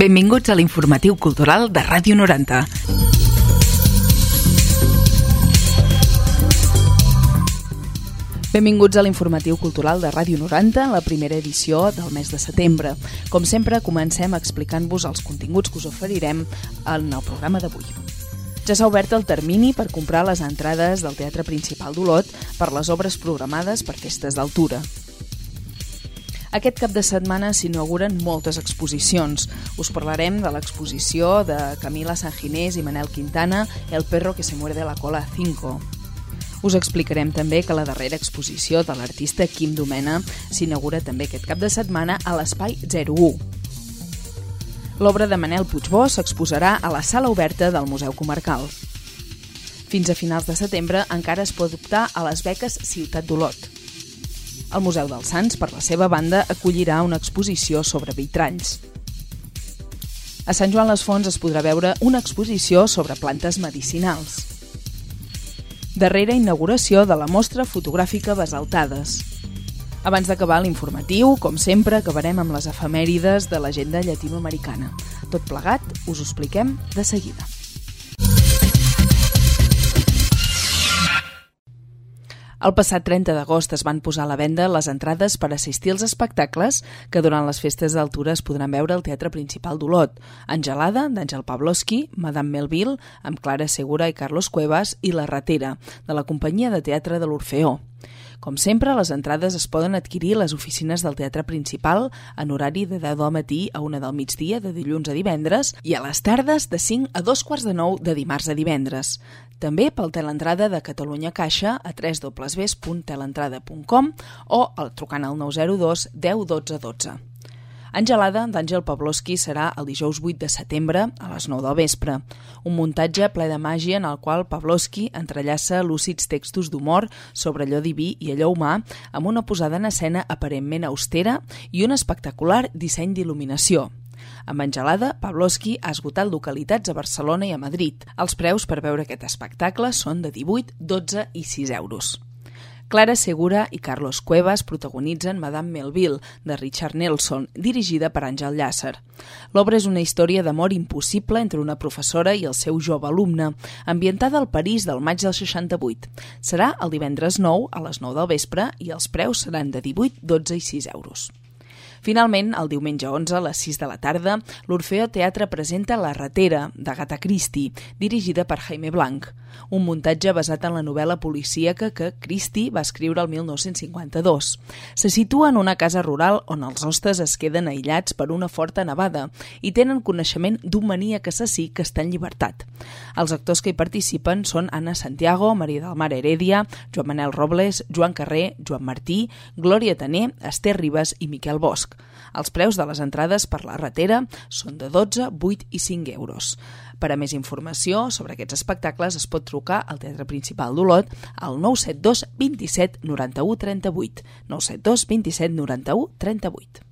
Benvinguts a l'informatiu cultural de Ràdio 90. Benvinguts a l'informatiu cultural de Ràdio 90, la primera edició del mes de setembre. Com sempre, comencem explicant-vos els continguts que us oferirem en el programa d'avui. Ja s'ha obert el termini per comprar les entrades del Teatre Principal d'Olot per les obres programades per festes d'altura. Aquest cap de setmana s'inauguren moltes exposicions. Us parlarem de l'exposició de Camila Sanginés i Manel Quintana, El perro que se muerde la cola 5. Us explicarem també que la darrera exposició de l'artista Quim Domena s'inaugura també aquest cap de setmana a l'Espai 01. L'obra de Manel Puigbó s'exposarà a la sala oberta del Museu Comarcal. Fins a finals de setembre encara es pot optar a les beques Ciutat d'Olot. El Museu dels Sants, per la seva banda, acollirà una exposició sobre vitralls. A Sant Joan les Fonts es podrà veure una exposició sobre plantes medicinals. Darrera inauguració de la mostra fotogràfica Basaltades. Abans d'acabar l'informatiu, com sempre, acabarem amb les efemèrides de l'agenda llatinoamericana. Tot plegat us ho expliquem de seguida. El passat 30 d'agost es van posar a la venda les entrades per assistir als espectacles que durant les festes d'altura es podran veure al Teatre Principal d'Olot. Angelada, d'Àngel Pavlovsky, Madame Melville, amb Clara Segura i Carlos Cuevas, i La ratera, de la companyia de teatre de l'Orfeó. Com sempre, les entrades es poden adquirir a les oficines del Teatre Principal en horari de 10 del matí a 1 del migdia de dilluns a divendres i a les tardes de 5 a 2:45 de dimarts a divendres. També pel teleentrada de Catalunya Caixa a www.teleentrada.com o trucant al 902 10 12 12. Angelada, d'Àngel Pavlovsky, serà el dijous 8 de setembre a les 9 del vespre. Un muntatge ple de màgia en el qual Pavlovsky entrellaça lúcids textos d'humor sobre allò diví i allò humà amb una posada en escena aparentment austera i un espectacular disseny d'il·luminació. Amb Angelada, Pavlovsky ha esgotat localitats a Barcelona i a Madrid. Els preus per veure aquest espectacle són de 18, 12 i 6 euros. Clara Segura i Carlos Cuevas protagonitzen Madame Melville, de Richard Nelson, dirigida per Àngel Llàcer. L'obra és una història d'amor impossible entre una professora i el seu jove alumne, ambientada al París del maig del 68. Serà el divendres 9 a les 9 del vespre i els preus seran de 18, 12 i 6 euros. Finalment, el diumenge 11 a les 6 de la tarda, l'Orfeó Teatre presenta La ratera, d'Agatha Christie, dirigida per Jaime Blanc, un muntatge basat en la novel·la policíaca que Christie va escriure el 1952. Se situa en una casa rural on els hostes es queden aïllats per una forta nevada i tenen coneixement d'un maníac assassí que està en llibertat. Els actors que hi participen són Anna Santiago, Maria del Mar Heredia, Joan Manel Robles, Joan Carrer, Joan Martí, Glòria Taner, Esther Ribas i Miquel Bosch. Els preus de les entrades per La ratera són de 12, 8 i 5 euros. Per a més informació sobre aquests espectacles es pot trucar al Teatre Principal d'Olot al 972 27 91 38. 972 27 91 38.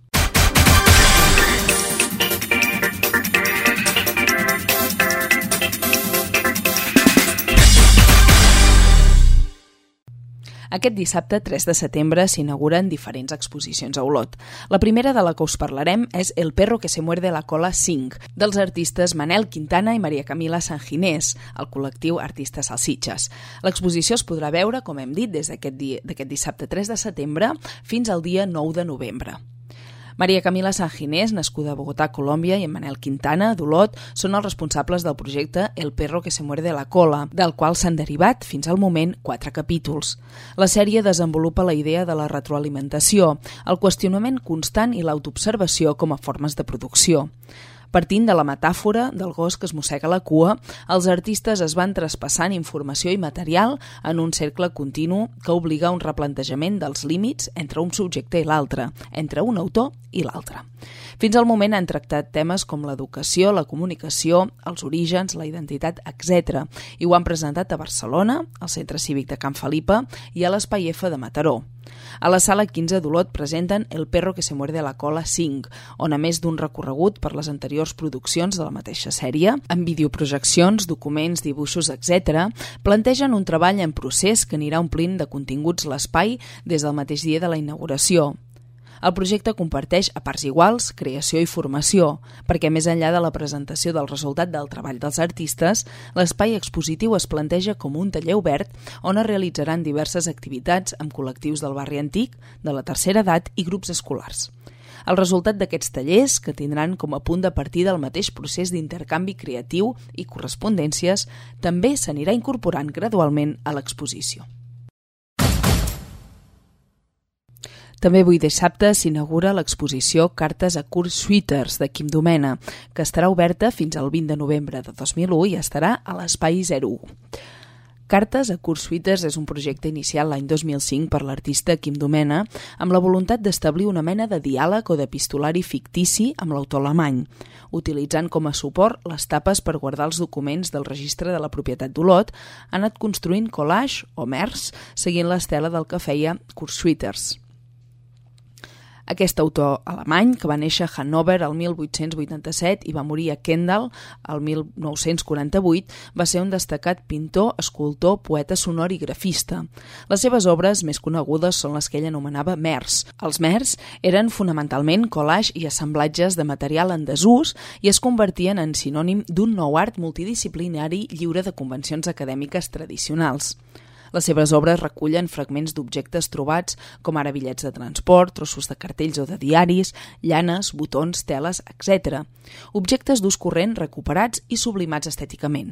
Aquest dissabte, 3 de setembre, s'inauguren diferents exposicions a Olot. La primera de la que us parlarem és El perro que se muerde la cola 5, dels artistes Manel Quintana i Maria Camila Sanginés, el col·lectiu Artistes Salsitxes. L'exposició es podrà veure, com hem dit, des d'aquest dissabte 3 de setembre fins al dia 9 de novembre. Maria Camila Sanginés, nascuda a Bogotà, Colòmbia, i en Manel Quintana, d'Olot, són els responsables del projecte El perro que se muerde la cola, del qual s'han derivat, fins al moment, 4 capítols. La sèrie desenvolupa la idea de la retroalimentació, el qüestionament constant i l'autoobservació com a formes de producció. Partint de la metàfora del gos que es mossega la cua, els artistes es van traspassant informació i material en un cercle continu que obliga a un replantejament dels límits entre un subjecte i l'altre, entre un autor i l'altre. Fins al moment han tractat temes com l'educació, la comunicació, els orígens, la identitat, etc. I ho han presentat a Barcelona, al Centre Cívic de Can Felipa i a l'Espai F de Mataró. A la sala 15 d'Olot presenten El perro que se muerde la cola 5, on a més d'un recorregut per les anteriors produccions de la mateixa sèrie, amb videoprojeccions, documents, dibuixos, etc., plantegen un treball en procés que anirà omplint de continguts l'espai des del mateix dia de la inauguració. El projecte comparteix a parts iguals creació i formació, perquè més enllà de la presentació del resultat del treball dels artistes, l'espai expositiu es planteja com un taller obert on es realitzaran diverses activitats amb col·lectius del barri antic, de la tercera edat i grups escolars. El resultat d'aquests tallers, que tindran com a punt de partida el mateix procés d'intercanvi creatiu i correspondències, també s'anirà incorporant gradualment a l'exposició. També avui dissabte s'inaugura l'exposició Cartes a Kurt Schwitters de Quim Domena, que estarà oberta fins al 20 de novembre de 2001 i estarà a l'Espai 01. Cartes a Kurt Schwitters és un projecte iniciat l'any 2005 per l'artista Quim Domena amb la voluntat d'establir una mena de diàleg o d'epistolari fictici amb l'autor alemany, utilitzant com a suport les tapes per guardar els documents del registre de la propietat d'Olot, ha anat construint collage o mers seguint l'estela del que feia Kurt Schwitters. Aquest autor alemany, que va néixer a Hannover el 1887 i va morir a Kendall el 1948, va ser un destacat pintor, escultor, poeta sonor i grafista. Les seves obres més conegudes són les que ell anomenava mers. Els mers eren fonamentalment collage i assemblatges de material en desús i es convertien en sinònim d'un nou art multidisciplinari lliure de convencions acadèmiques tradicionals. Les seves obres recullen fragments d'objectes trobats, com ara bitllets de transport, trossos de cartells o de diaris, llanes, botons, teles, etc. Objectes d'ús corrent recuperats i sublimats estèticament.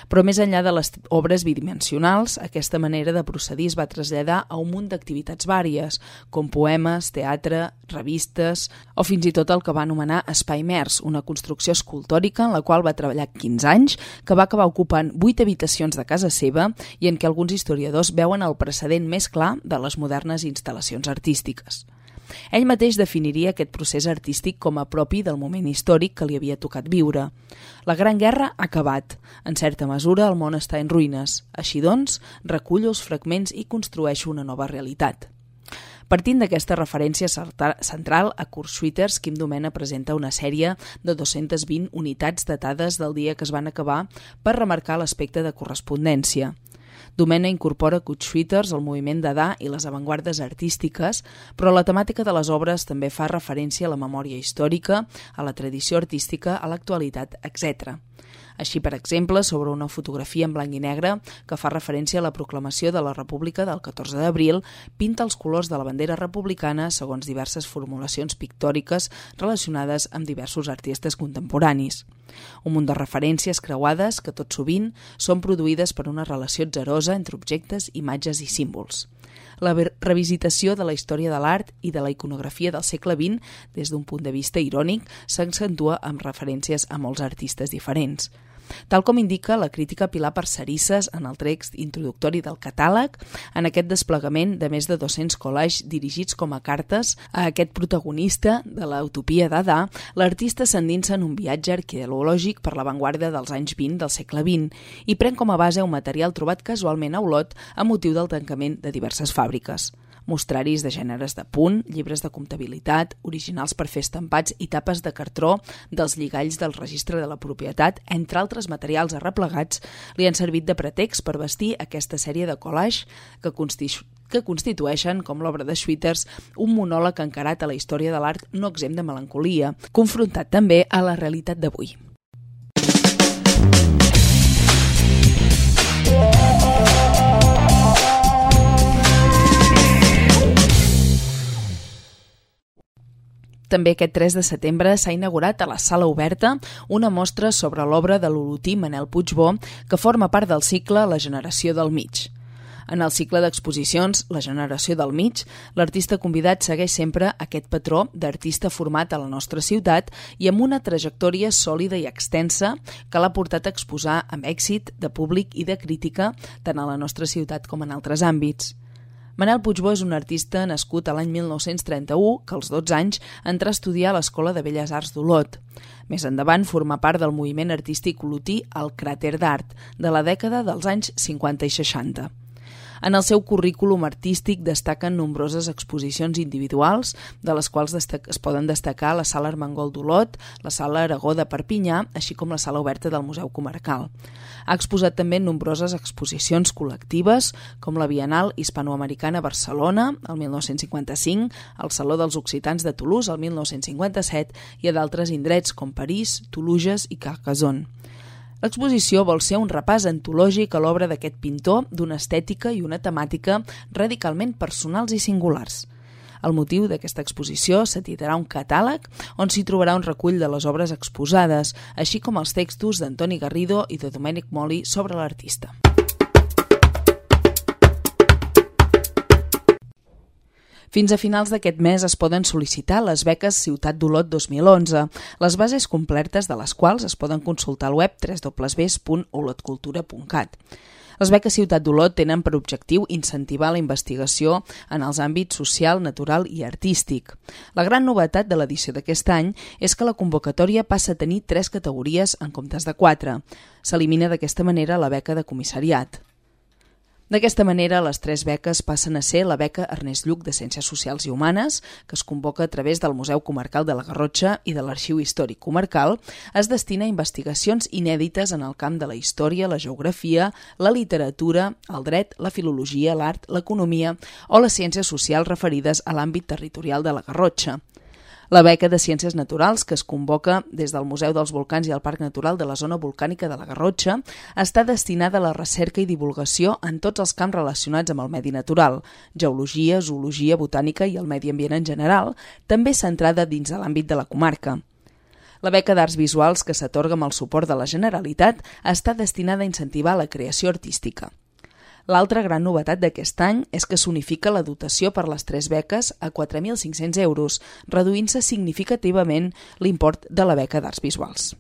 Però més enllà de les obres bidimensionals, aquesta manera de procedir es va traslladar a un munt d'activitats vàries, com poemes, teatre, revistes o fins i tot el que va anomenar Espai Mers, una construcció escultòrica en la qual va treballar 15 anys, que va acabar ocupant 8 habitacions de casa seva i en què alguns historiadors veuen el precedent més clar de les modernes instal·lacions artístiques. Ell mateix definiria aquest procés artístic com a propi del moment històric que li havia tocat viure. La Gran Guerra ha acabat. En certa mesura, el món està en ruïnes. Així doncs, recullo els fragments i construeixo una nova realitat. Partint d'aquesta referència central a Kurt Schwitters, Quim Domena presenta una sèrie de 220 unitats datades del dia que es van acabar per remarcar l'aspecte de correspondència. Domena incorpora Kurt Schwitters al moviment Dada i les avantguardes artístiques, però la temàtica de les obres també fa referència a la memòria històrica, a la tradició artística, a l'actualitat, etc. Així, per exemple, sobre una fotografia en blanc i negre que fa referència a la proclamació de la República del 14 d'abril, pinta els colors de la bandera republicana segons diverses formulacions pictòriques relacionades amb diversos artistes contemporanis. Un munt de referències creuades que tot sovint són produïdes per una relació atzarosa entre objectes, imatges i símbols. La revisitació de la història de l'art i de la iconografia del segle XX des d'un punt de vista irònic s'accentua amb referències a molts artistes diferents. Tal com indica la crítica Pilar Parcerisses en el text introductori del catàleg, en aquest desplegament de més de 200 collages dirigits com a cartes a aquest protagonista de la utopia Dada, l'artista s'endinsa en un viatge arqueològic per l'avantguarda dels anys 20 del segle XX i pren com a base un material trobat casualment a Olot a motiu del tancament de diverses fàbriques. Mostraris de gèneres de punt, llibres de comptabilitat, originals per fer estampats i tapes de cartró dels lligalls del registre de la propietat, entre altres materials arreplegats, li han servit de pretext per vestir aquesta sèrie de collage que constitueixen, com l'obra de Schwitters, un monòleg encarat a la història de l'art no exempt de melancolia, confrontat també a la realitat d'avui. També aquest 3 de setembre s'ha inaugurat a la Sala Oberta una mostra sobre l'obra de l'olotí Manel Puigbó que forma part del cicle La generació del mig. En el cicle d'exposicions La generació del mig, l'artista convidat segueix sempre aquest patró d'artista format a la nostra ciutat i amb una trajectòria sòlida i extensa que l'ha portat a exposar amb èxit de públic i de crítica tant a la nostra ciutat com en altres àmbits. Manel Puigbó és un artista nascut a l'any 1931 que als 12 anys entrà a estudiar a l'Escola de Belles Arts d'Olot. Més endavant forma part del moviment artístic olotí El Cràter d'Art, de la dècada dels anys 50 i 60. En el seu currículum artístic destaquen nombroses exposicions individuals, de les quals es poden destacar la Sala Armengol d'Olot, la Sala Aragó de Perpinyà, així com la Sala Oberta del Museu Comarcal. Ha exposat també nombroses exposicions col·lectives, com la Bienal Hispanoamericana a Barcelona, el 1955, al Saló dels Occitans de Toulouse, el 1957, i a d'altres indrets com París, Toulouse i Carcassonne. L'exposició vol ser un repàs antològic a l'obra d'aquest pintor d'una estètica i una temàtica radicalment personals i singulars. El motiu d'aquesta exposició s'editarà un catàleg on s'hi trobarà un recull de les obres exposades, així com els textos d'Antoni Garrido i de Domènec Moli sobre l'artista. Fins a finals d'aquest mes es poden sol·licitar les beques Ciutat d'Olot 2011, les bases completes de les quals es poden consultar al web www.olotcultura.cat. Les beques Ciutat d'Olot tenen per objectiu incentivar la investigació en els àmbits social, natural i artístic. La gran novetat de l'edició d'aquest any és que la convocatòria passa a tenir 3 categories en comptes de 4. S'elimina d'aquesta manera la beca de comissariat. D'aquesta manera, les 3 beques passen a ser la beca Ernest Lluch de Ciències Socials i Humanes, que es convoca a través del Museu Comarcal de la Garrotxa i de l'Arxiu Històric Comarcal, es destina a investigacions inèdites en el camp de la història, la geografia, la literatura, el dret, la filologia, l'art, l'economia o les ciències socials referides a l'àmbit territorial de la Garrotxa. La beca de Ciències Naturals, que es convoca des del Museu dels Volcans i el Parc Natural de la Zona Volcànica de la Garrotxa, està destinada a la recerca i divulgació en tots els camps relacionats amb el medi natural, geologia, zoologia, botànica i el medi ambient en general, també centrada dins de l'àmbit de la comarca. La beca d'Arts Visuals, que s'atorga amb el suport de la Generalitat, està destinada a incentivar la creació artística. L'altra gran novetat d'aquest any és que s'unifica la dotació per les 3 beques a 4.500 euros, reduint-se significativament l'import de la beca d'Arts Visuals.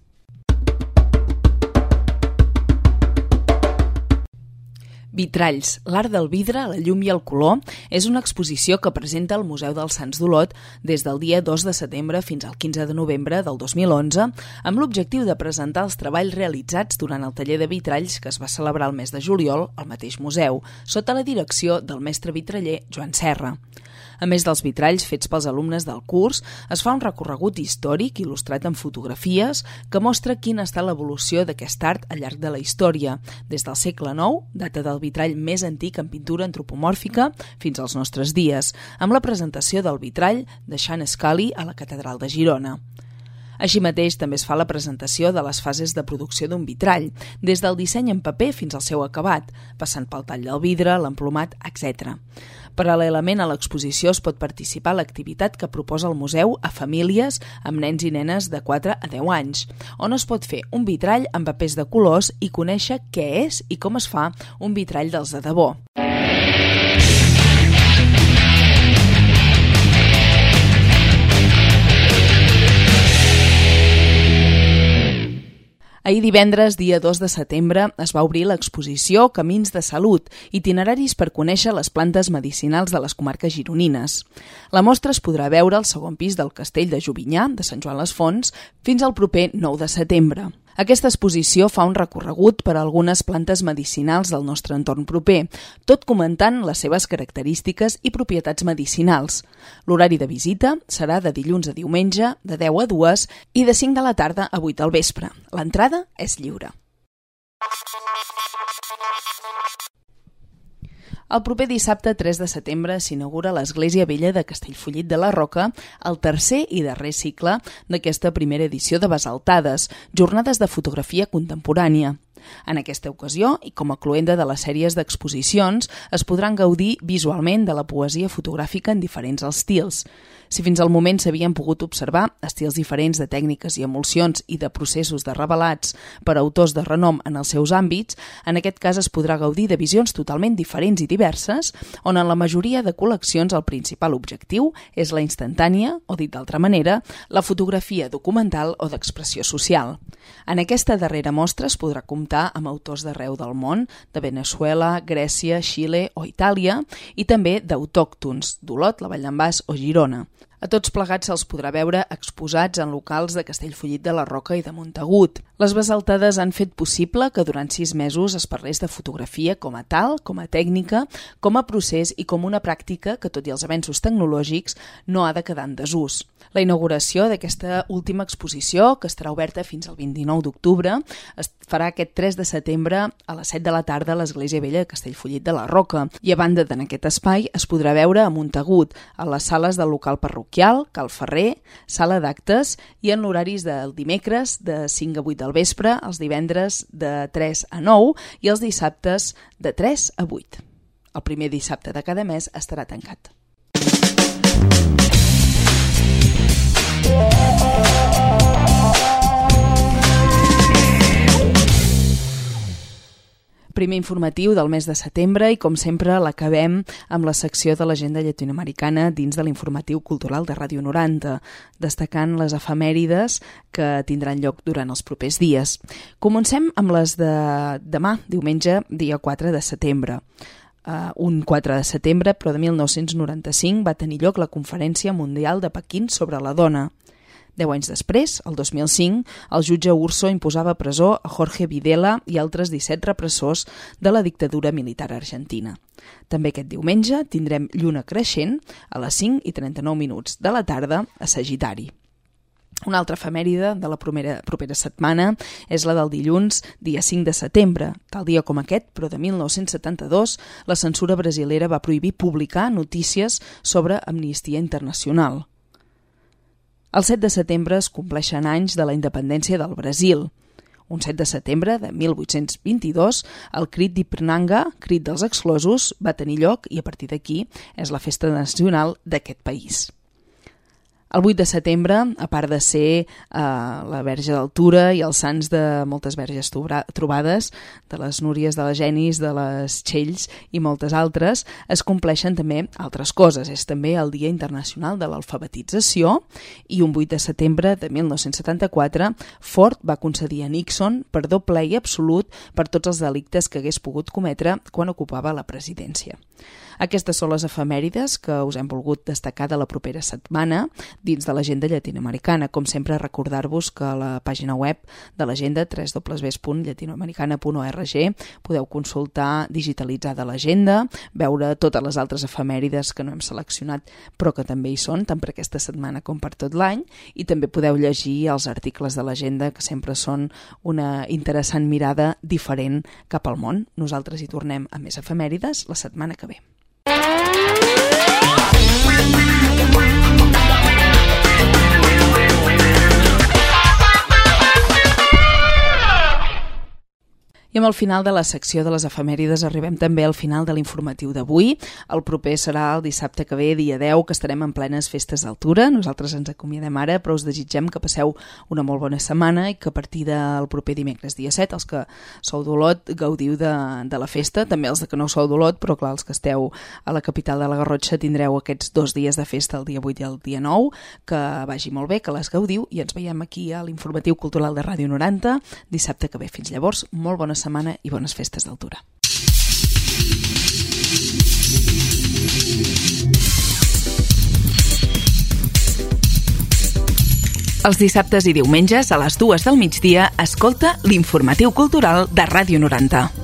Vitralls, l'art del vidre, la llum i el color és una exposició que presenta el Museu dels Sants d'Olot des del dia 2 de setembre fins al 15 de novembre del 2011 amb l'objectiu de presentar els treballs realitzats durant el taller de vitralls que es va celebrar el mes de juliol al mateix museu, sota la direcció del mestre vitraller Joan Serra. A més dels vitralls fets pels alumnes del curs, es fa un recorregut històric il·lustrat en fotografies que mostra quina ha estat l'evolució d'aquest art al llarg de la història, des del segle IX, data del vitrall més antic en pintura antropomòrfica, fins als nostres dies, amb la presentació del vitrall de Sean Scully a la Catedral de Girona. Així mateix, també es fa la presentació de les fases de producció d'un vitrall, des del disseny en paper fins al seu acabat, passant pel tall del vidre, l'emplomat, etc. Paral·lelament a l'exposició es pot participar a l'activitat que proposa el museu a famílies amb nens i nenes de 4 a 10 anys, on es pot fer un vitrall amb papers de colors i conèixer què és i com es fa un vitrall dels de debò. Ahir divendres, dia 2 de setembre, es va obrir l'exposició Camins de Salut, itineraris per conèixer les plantes medicinals de les comarques gironines. La mostra es podrà veure al segon pis del Castell de Jovinyà, de Sant Joan les Fonts, fins al proper 9 de setembre. Aquesta exposició fa un recorregut per a algunes plantes medicinals del nostre entorn proper, tot comentant les seves característiques i propietats medicinals. L'horari de visita serà de dilluns a diumenge, de 10 a 2 i de 5 de la tarda a 8 del vespre. L'entrada és lliure. El proper dissabte 3 de setembre s'inaugura l'Església Vella de Castellfollit de la Roca, el tercer i darrer cicle d'aquesta primera edició de Basaltades, jornades de fotografia contemporània. En aquesta ocasió, i com a cloenda de les sèries d'exposicions, es podran gaudir visualment de la poesia fotogràfica en diferents estils. Si fins al moment s'havien pogut observar estils diferents de tècniques i emulsions i de processos de revelats per autors de renom en els seus àmbits, en aquest cas es podrà gaudir de visions totalment diferents i diverses, on en la majoria de col·leccions el principal objectiu és la instantània, o dit d'altra manera, la fotografia documental o d'expressió social. En aquesta darrera mostra es podrà comptar amb autors d'arreu del món, de Veneçuela, Grècia, Xile o Itàlia, i també d'autòctons, d'Olot, la Vall d'en Bas o Girona. A tots plegats se'ls podrà veure exposats en locals de Castellfollit de la Roca i de Montagut. Les Bessaltades han fet possible que durant 6 mesos es parlés de fotografia com a tal, com a tècnica, com a procés i com una pràctica que, tot i els avenços tecnològics, no ha de quedar en desús. La inauguració d'aquesta última exposició, que estarà oberta fins al 29 d'octubre, es farà aquest 3 de setembre a les 7 de la tarda a l'Església Vella de Castellfollit de la Roca. I a banda d'en aquest espai es podrà veure a Montagut, a les sales del local parroquial, Cal Ferrer, sala d'actes i en l'horaris del dimecres de 5 a 8 del vespre, els divendres de 3 a 9 i els dissabtes de 3 a 8. El primer dissabte de cada mes estarà tancat. Primer informatiu del mes de setembre i, com sempre, l'acabem amb la secció de l'agenda llatinoamericana dins de l'informatiu cultural de Ràdio 90, destacant les efemèrides que tindran lloc durant els propers dies. Comencem amb les de demà, diumenge, dia 4 de setembre. Un 4 de setembre, però de 1995, va tenir lloc la Conferència Mundial de Pequín sobre la dona. 10 anys després, el 2005, el jutge Urso imposava presó a Jorge Videla i altres 17 repressors de la dictadura militar argentina. També aquest diumenge tindrem lluna creixent a les 5:39 de la tarda a Sagitari. Una altra efemèride de la propera setmana és la del dilluns, dia 5 de setembre. Tal dia com aquest, però de 1972, la censura brasilera va prohibir publicar notícies sobre Amnistia Internacional. El 7 de setembre es compleixen anys de la independència del Brasil. Un 7 de setembre de 1822, el Crit d'Ipiranga, Crit dels Exclosos, va tenir lloc i a partir d'aquí és la festa nacional d'aquest país. El 8 de setembre, a part de ser la Verge d'Altura i els sants de moltes verges trobades, de les Núries, de les Genis, de les Txells i moltes altres, es compleixen també altres coses. És també el Dia Internacional de l'Alfabetització i un 8 de setembre de 1974 Ford va concedir a Nixon perdó ple i absolut per tots els delictes que hagués pogut cometre quan ocupava la presidència. Aquestes són les efemèrides que us hem volgut destacar de la propera setmana dins de l'agenda llatinoamericana. Com sempre, recordar-vos que a la pàgina web de l'agenda, www.latinoamericana.org, podeu consultar digitalitzada l'agenda, veure totes les altres efemèrides que no hem seleccionat però que també hi són, tant per aquesta setmana com per tot l'any, i també podeu llegir els articles de l'agenda, que sempre són una interessant mirada diferent cap al món. Nosaltres hi tornem a més efemèrides la setmana que ve. I amb el final de la secció de les efemèrides arribem també al final de l'informatiu d'avui. El proper serà el dissabte que ve, dia 10, que estarem en plenes festes d'altura. Nosaltres ens acomiadem ara, però us desitgem que passeu una molt bona setmana i que a partir del proper dimecres, dia 7, els que sou d'Olot gaudiu de la festa, també els que no sou d'Olot, però clar, els que esteu a la capital de la Garrotxa tindreu aquests 2 dies de festa, el dia 8 i el dia 9, que vagi molt bé, que les gaudiu i ens veiem aquí a l'informatiu cultural de Ràdio 90 dissabte que ve. Fins llavors, molt bona setmana i bones festes d'altura. Els dissabtes i diumenges a les 2 del migdia escolta l'Informatiu Cultural de Ràdio 90.